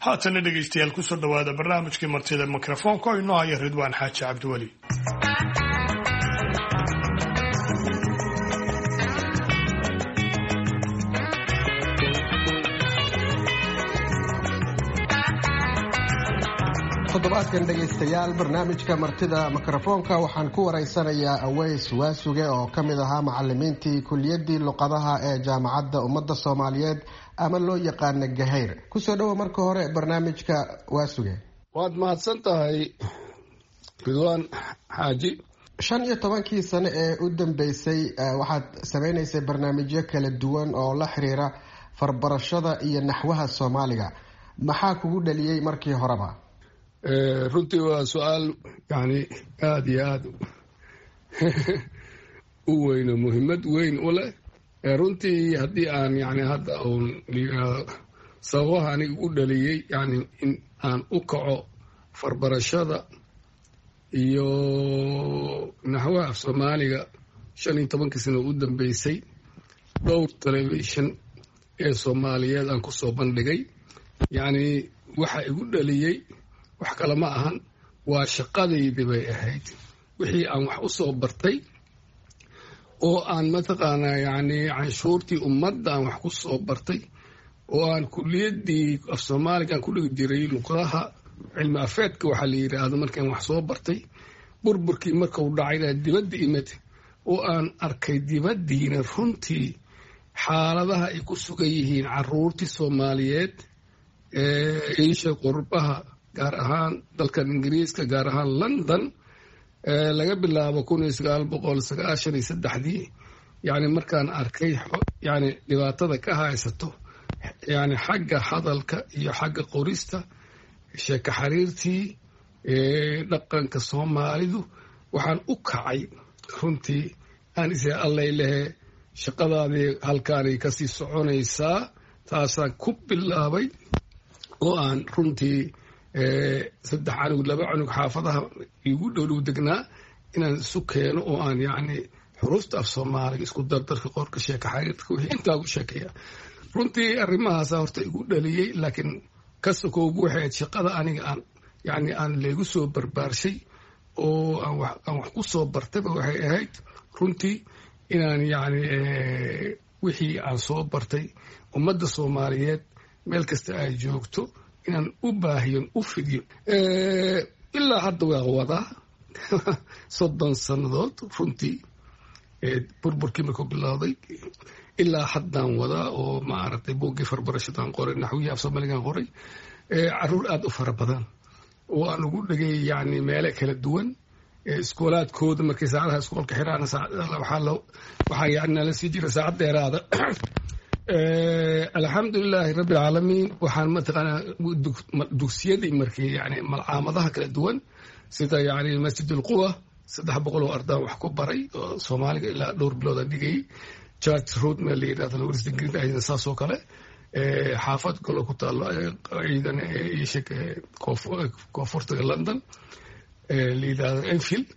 Haatana dhegaystayaal, kusoo dhowaada barnaamijkii Martida Mikrofoonka oo inoo haya Ridwaan Xaaji Cabdiweli. Toddobaadkan, dhegaystayaal, barnaamijka Martida Mikrofoonka waxaan ku wareysanayaa Aweys Waasuge oo ka mid ahaa macalimiintii kuliyaddii luqadaha ee Jaamacadda Ummadda Soomaaliyeed ama loo yaqaana Gahayr. Kusoo dhowo marka hore barnaamijka, Waasuge. Waad mahadsan tahay, Ridwaan Xaaji. 15-kii sano ee u dambeysay waxaad sameynaysay barnaamijyo kala duwan oo la xiriira farbarashada iyo naxwaha Soomaaliga. Maxaa kugu dhaliyey markii horeba? Runtii waa su-aal yani aada iyo aada u weyn oo muhiimad weyn u leh. Runtii haddii aan yani hadda uun sababaha aniga u dhaliyey yani in aan u kaco farbarashada iyo naxwaha af Soomaaliga 15-kii sano u dambeysay, dhowr telefishin ee Soomaaliyeed aan kusoo bandhigay, yacni waxa igu dhaliyey wax kale ma ahan, waa shaqadaydii bay ahayd, wixii aan wax u soo bartay oo aan mataqaanaa yacni canshuurtii ummadda aan wax ku soo bartay oo aan kuliyaddii af Soomaaliga aan ku dhigi jiray luqadaha cilmi afeedka waxaa la yidhaahdo. Markaan wax soo bartay, burburkii markau dhacayna dibadda imid oo aan arkay dibaddiina runtii xaaladaha ay ku sugan yihiin caruurtii Soomaaliyeed ee iisha qurbaha, gaar ahaan dalkan Ingiriiska, gaar ahaan London, laga bilaabo 1993-dii, yani markaan arkay yani dhibaatada ka haysato yani xagga hadalka iyo xagga qorista, sheeko xariirtii, dhaqanka Soomaalidu, waxaan u kacay runtii aan is allay lehe shaqadaadii halkaanay kasii soconaysaa. Taasaan ku bilaabay oo aan runtii saddex canug, laba canug xaafadaha igu dhowdhow degnaa inaan isu keeno oo aan yacni xuruufta af Soomaaliga, isku dardarka, qorka, sheeka xariirka, wixii intaa ku sheekeeya. Runtii arrimahaasa horta igu dhaliyey, laakiin ka sokowbu waxay ahayd shaqada aniga aan yacni aan leegu soo barbaarshay oo aan wax ku soo bartayba. Waxay ahayd runtii inaan yacni wixii aan soo bartay ummadda Soomaaliyeed meel kasta ay joogto inaan u baahiyon, u fidiyo. Ilaa hadda waa wadaa 30 sannadood runtii, burburkii markuu bilowday ilaa haddaan wadaa oo maaragtay buuggii farbarashadaan qoray, naxwihii af Soomaaligaan qoray, caruur aada u fara badan oo aan ugu dhigay yacni meelo kala duwan iskoolaadkooda. Markay saacadaha iskoolka xiraan waxaa yani nala sii jira saacad dheeraada. Alxamdulilaahi rabbi alcaalamiin. Waxaan mataqaanaa dugsiyadii markii yani malcaamadaha kala duwan sida yani Masjid Ulquwa, 300 oo ardaan wax ku baray oo Soomaaliga ilaa dhowr bilood aan dhigayay. Church Road meel la yidhahdo Western Green ayadana saas oo kale, xaafad kaloo ku taalo ciidan isheg koonfurta London la yidhahdo Enfield,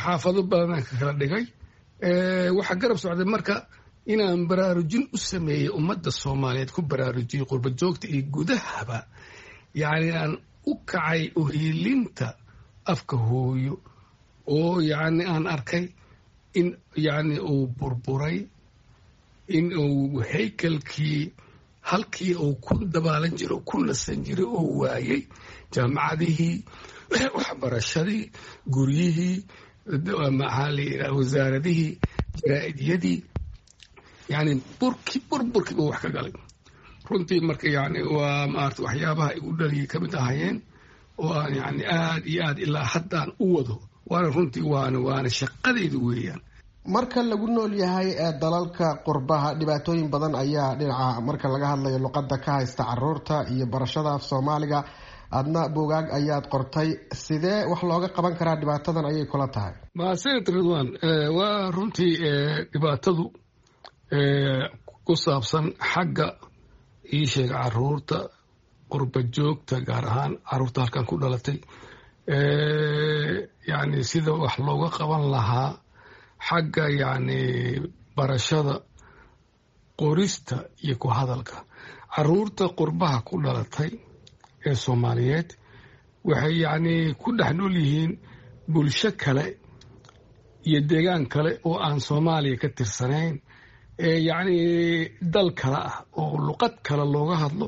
xaafado badanaan ka kala dhigay. Waxaa garab socday marka inaan baraarujin u sameeyey ummadda Soomaaliyeed, ku baraarujiyey qurba joogta iyo gudahaba, yacni aan u kacay uhiilinta afka hooyo oo yacni aan arkay in yacni uu burburay, in uu haykalkii halkii uu ku dabaalan jiray, ku nasan jiray oo waayey, jaamacadihii, waxbarashadii, guryihii, maxaa la yidhaha, wasaaradihii, jaraa'idiyadii, yani burki burburkii buu wax ka galay runtii. Marka yani waa maarata waxyaabaha igu dhaliyay ka mid ahayeen oo aan yani aad iyo aad ilaa haddaan u wado, waana runtii waana shaqadayda weeyaan. Marka lagu nool yahay dalalka qurbaha, dhibaatooyin badan ayaa dhinaca marka laga hadlayo luqadda ka haysta caruurta iyo barashada af Soomaaliga. Adna buugaag ayaad qortay. Sidee wax looga qaban karaa dhibaatadan ayay kula tahay? Mahadsanid, Ridwan. Waa runtii dhibaatadu ku saabsan xagga ii sheega caruurta qurba joogta, gaar ahaan caruurta halkan ku dhalatay, yani sida wax looga qaban lahaa xagga yacni barashada qorista iyo ku hadalka caruurta qurbaha ku dhalatay. ee Soomaaliyeed waxay yacni ku dhex nool yihiin bulsho kale iyo deegaan kale oo aan Soomaaliya ka tirsanayn, ee yacni dal kale ah oo luqad kale looga hadlo,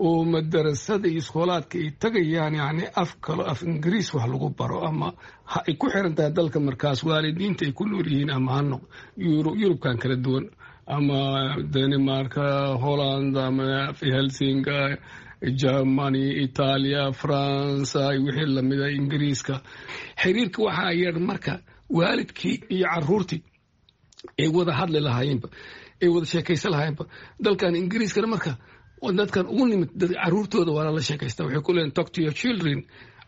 oo madarasada iyo iskoolaadka ay tagayaan yacni af kalo, af Ingiriis wax lagu baro, ama ha ay ku xiran tahay dalka markaas waalidiinta ay ku nool yihiin, ama ha noq Yurubkan kala duwan, ama Danimarka, Holland, ama Helsinga, Germany, Itaaliya, Faransa, wixii lamida, Ingiriiska. Xiriirka waxaa yar marka waalidkii iyo caruurtii ay wada hadli lahaayeenba, ay wada sheekaysan lahaayeenba. Dalkan Ingiriiskana marka dadkan ugu nimid caruurtooda waa lala sheekaysta. Waxay ku leeyihin, "Talk to your children,"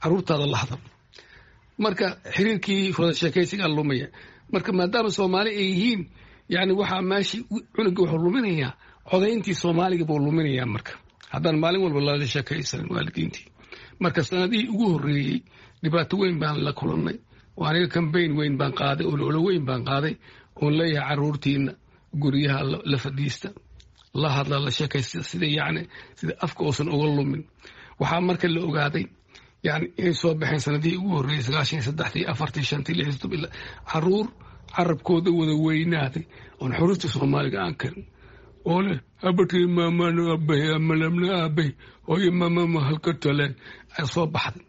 caruurtaada la hadal. Marka xiriirkii wada sheekaysigaa lumaya. Marka maadaama Soomaali ay yihiin, yani waxaa meeshii cunuga wuxuu luminayaa codayntii Soomaaliga buu luminayaa marka haddaan maalin walba lala sheekaysanin waalidiintii. Marka sanadihii ugu horreeyey dhibaato weyn baan la kulannay, oo aniga campaign weyn baan qaaday, ololo weyn baan qaaday, oon leeyahay caruurtiina guryaha la fadhiista, la hadla, la sheekaysta, sida yacni sida afka uusan uga lumin. Waxaa marka la ogaaday yani inay soo baxeen sanadihii ugu horreeyey, 93-dii, 4-tii, 5-tii, 6-dii, 7, caruur carabkooda wada weynaaday oon xuruufta Soomaaliga aan karin, oo leh abatay maamano aabay amalamna aabay hooyo maamama halka taleen ay soo baxday,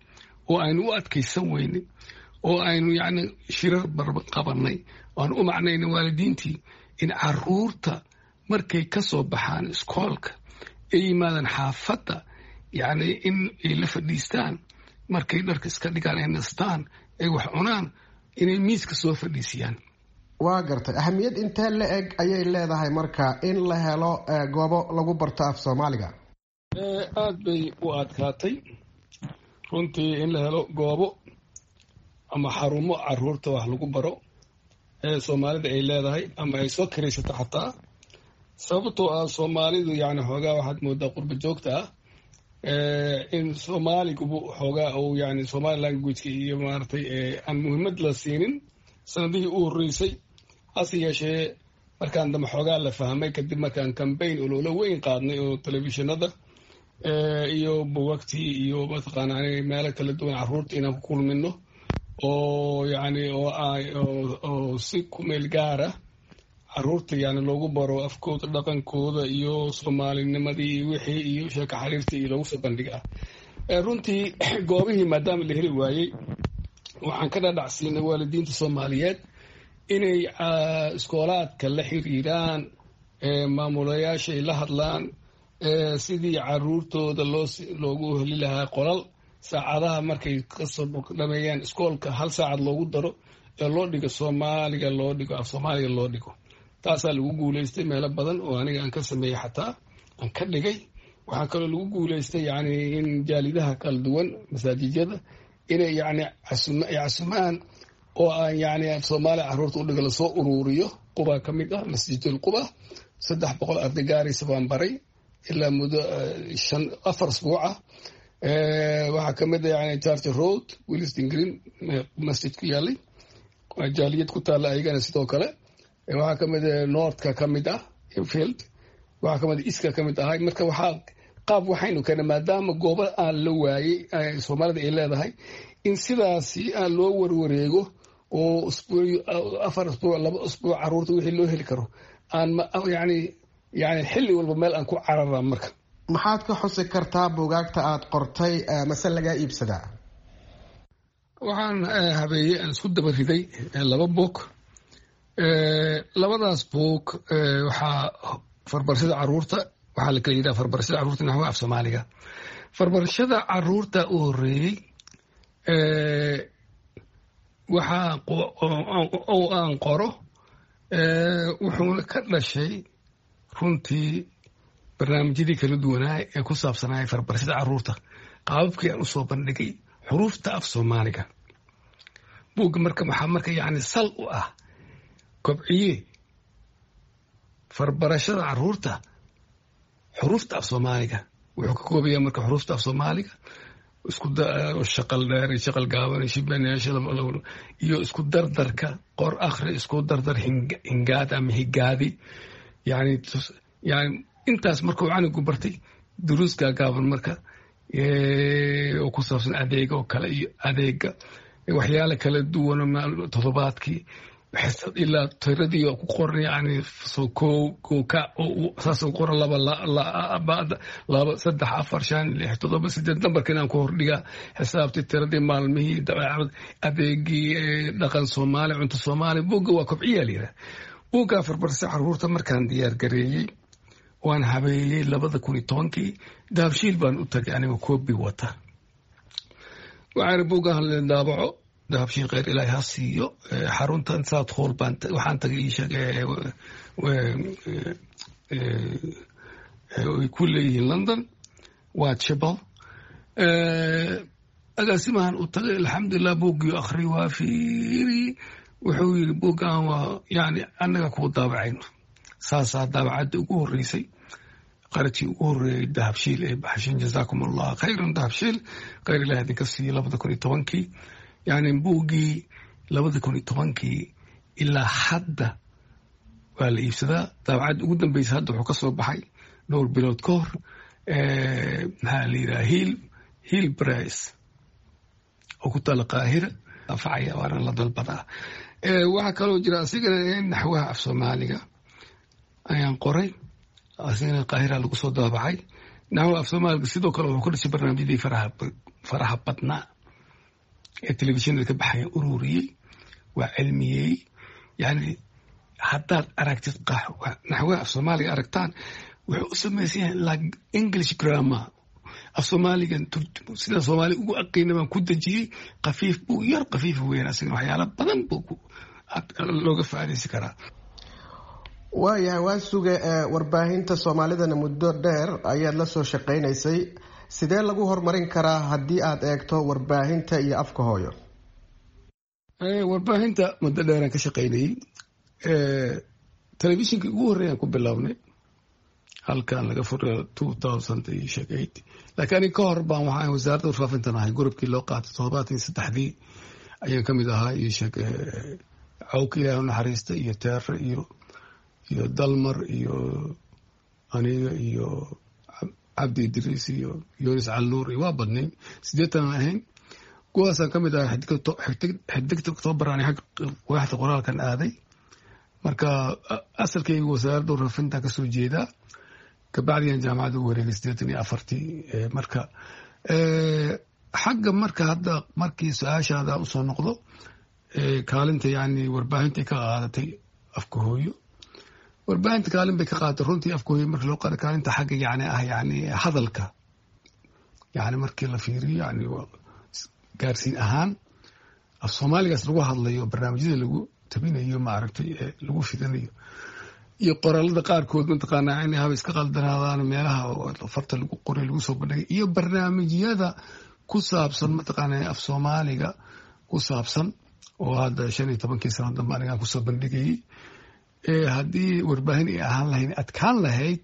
oo aynu u adkaysan weynay, oo aynu yacni shirar qabanay, oo aan u macnaynay waalidiintii in caruurta markay ka soo baxaan iskoolka ay yimaadaan xaafadda, yacni in ay la fadhiistaan markay dharka iska dhigaan, ay nastaan, ay wax cunaan, inay miiska soo fadhiisiyaan. Waa gartay. Ahamiyad intee la eg ayay leedahay marka in la helo goobo lagu barto af Soomaaliga? Aada bay u adkaatay runtii in la helo goobo ama xarumo caruurta wax lagu baro ee Soomaalida ay leedahay ama ay soo kiraysato xataa, sababtoo ah Soomaalidu yani xoogaa waxaad moodaa qurba joogta ah in Soomaaligubu xoogaa uu yani Somali languageka iyo maaragtay aan muhiimad la siinin sanadihii u horreysay. Hase yeeshee markaan dambe xoogaa la fahmay, kadib markaan campaign ololo weyn qaadnay oo telefishinada iyo buugagtii iyo mataqaana meelo kala duwan caruurta inaan ku kulmino, oo yani oo si ku meel gaara caruurta yani loogu baro afkooda, dhaqankooda iyo Soomaalinimadii iyo wixii iyo sheeko xariirtii iyo loogu soo bandhiga ah. Runtii goobihii maadaama la heli waayey, waxaan ka dhadhacsiinay waalidiinta Soomaaliyeed inay iskoolaadka la xiriiraan, maamulayaasha ay la hadlaan, sidii caruurtooda loo loogu heli lahaa qolal saacadaha markay kasoo dhameeyaan iskoolka hal saacad loogu daro ee loo dhigo Soomaaliga, loo dhigo af Soomaaliga loo dhigo. Taasaa lagu guuleystay meelo badan oo aniga aan ka sameeyey, xataa aan ka dhigay. Waxaa kaloo lagu guuleystay yani in jaalidaha kala duwan, masaajidyada, inay yani ay casumaan oo aan yani af Soomaaliya caruurta u dhigo lasoo uruuriyo. Quba ka mid ah, Masjidul Quba, 300 arday gaaraysa baan baray ilaa muddo 5, 4 asbuuc ah. Waxaa kamid ah yani Church Road, Willesden Green, masjid ku yaalay, jaaliyad ku taalla ayagana sidoo kale. Waxaa kamid ah Northka, kamid ah Enfield, waxaa kamid iska kamid ahay. Marka waxaa qaab waxaynu keenay, maadaama goobo aan la waayey Soomaalida ay leedahay, in sidaasi aan loo warwareego oo usbuuc, 4 usbuuc, 2 usbuuc caruurta wixii loo heli karo aan yani xilli walba meel aan ku carara marka. Maxaad ka xusi kartaa buugaagta aad qortay, mase lagaa iibsadaa? Waxaan habeeyey, aan isku daba riday laba buug. Labadaas buug waxaa Farbarashada Caruurta, waxaa la kala yidhaha Farbarashada Carruurta Naxwaha Af Soomaaliga. Farbarashada Caruurta u horreeyey waxaa oo aan qoro wuxuuna ka dhashay runtii barnaamijyadii kala duwanaa ee ku saabsanaya farbarashada caruurta, qaababkii aan usoo bandhigay xuruufta af Soomaaliga. Buugga marka waxaa marka yacni sal u ah kobciye farbarashada caruurta xuruufta af Soomaaliga. Wuxuu ka koobaya marka xuruufta af Soomaaliga, isku shaqal dheer iyo shaqal gaaban iyo shibanayaasha iyo isku dardarka, qor, akhri, isku dardar, hingaad ama higaadi. Yani intaas markuu canugu bartay duruus gaagaaban marka Oo ku saabsan adeega oo kale iyo adeega waxyaala kala duwan, toddobaadkii xisad ilaa tiradii oo ku qoran, yani soo kow kow ka saas u qoran, 2, 2, 3, 4, 5, 6, 7, 8, nambarka inaan ku hordhigaa, xisaabtii, tiradii, maalmihii, dabeecad, adeegii, dhaqan Soomaali, cunto Soomaali. Buugga waa kobciyaa la yidhaha. Buugga Farbarse Caruurta markaan diyaar gareeyey, waan habeeyey 2010-kii, Dahabshiil baan u tagay anigoo koobi wata. Waxaan buuggan la daabaco. Dahabshiil kheyr Ilaahay ha siiyo. Xaruntan South Hall baan waxaan tagay, ii sheeg, ay ku leeyihiin London, waa Chibal. Agaasimahan u tagay, alxamdulilah, buuggii akhri, waa fiiri, wuxuu yiri: "Buuggan waa yani annaga kuu daabacayno." Saasaa daabacadda ugu horreysay, qarajkii ugu horreeyey Dahabshiil ee baxshin. Jazaakum Allah khayran, Dahabshiil, khayr Ilaah idinka siiyo. 2010-kii, yani buuggii 2010-kii ilaa hadda waa la iibsadaa. Daabacadda ugu dambeysa hadda wuxuu ka soo baxay dhowr bilood ka hor, maxaa la yidhaha, Hill Press oo ku taala Qaahira, anfacaya, waana la dalbadaa. Waxaa kaloo jira asigana naxwaha af Soomaaliga ayaan qoray, asigana Qaahira lagu soo daabacay. Naxwaha af Soomaaliga sidoo kale wuxuu ka dhashay barnaamijyadii faraha badnaa ee telefishinada ka baxaya, ururiyey, waa cilmiyey. Yani haddaad aragtid naxwaha af Soomaaliga aragtaan, wuxuu u samaysan yahay like English grammar. Af Soomaaliga sida Soomaali ugu aqiina baan ku dejiyey. Khafiif buu yar, khafiif weyn, asagana waxyaala badan buu looga faa'iidaysan karaa. Waayahay, waa suge. Warbaahinta Soomaalidana muddo dheer ayaad la soo shaqaynaysay. Sidee lagu horumarin karaa haddii aad eegto warbaahinta iyo afka hooyo? Warbaahinta muddo dheeraan ka shaqaynayey. Telefishinkii ugu horreeyaan ku bilownay halkan laga furay 2008, laakiin aniga ka hor baan waxaan wasaaradda warfaafintan ahay gurubkii loo qaatay 73-dii ayaan ka mid ahaa iyo sheeg Cawka, Ilaah u naxariista, iyo Teere iyo Dalmar iyo aniga iyo Cabdi Idriis iyo Yunis Calluur iyo waa badnayn, 80 aan ahayn. Kuwaasaan ka mid ahay. Xidigta Octoobar ani xag waaxda qoraalkan aaday. Marka asalkayga wasaaradda warfaafintan kasoo jeedaa, kabacdiyan jaamacadda u wareegay 84-tii. Marka xagga marka hadda markii su-aashaada usoo noqdo, kaalinta yani warbaahinta ka qaadatay afka hooyo, warbaahinta kaalin bay ka qaadatay runtii afka hooyo markii loo qaado. Kaalinta xagga yani ah yani hadalka, yani markii la fiiriyo, yani gaarsiin ahaan af Soomaaligaas lagu hadlayo, barnaamijyada lagu tabinayo, maaragtay, lagu fidinayo, iyo qoraalada qaarkood mataqaanaa inay haba iska qaldanaadaan meelaha farta lagu qoray lagu soo bandhigay, iyo barnaamijyada ku saabsan mataqaanaa af Soomaaliga ku saabsan oo hadda 15-kii sano dambe anigaan kusoo bandhigayey, haddii warbaahin ay ahaan lahayn adkaan lahayd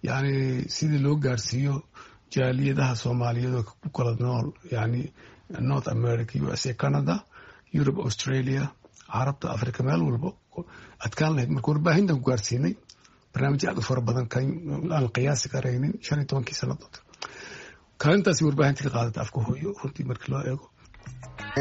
yani sidii loo gaarsiiyo jaaliyadaha Soomaaliyeed oo ku kala nool yani North America, USA, Canada, Europe, Australia, Carabta, Africa, meel walbo adkaan lahayd. Marka warbaahintan ku gaarsiinay barnaamijyo aad u fara badan aan qiyaasi karaynin 15-kii sanadood. Kaalintaasi warbaahinta ka qaadata afka hooyo runtii markii loo eego.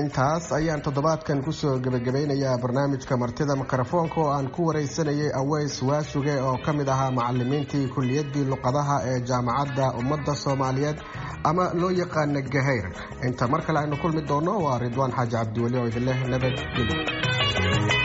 Intaas ayaan toddobaadkan kusoo gebagabeynayaa barnaamijka martida mikrofoonka oo aan ku wareysanayay Aweys Waasuge oo ka mid ahaa macalimiintii kuliyaddii luqadaha ee Jaamacadda Ummadda Soomaaliyeed ama loo yaqaana Gahayr. Inta mar kale aynu kulmi doono, waa Ridwaan Xaaji Cabdiweli oo idin leh nabadgelyo.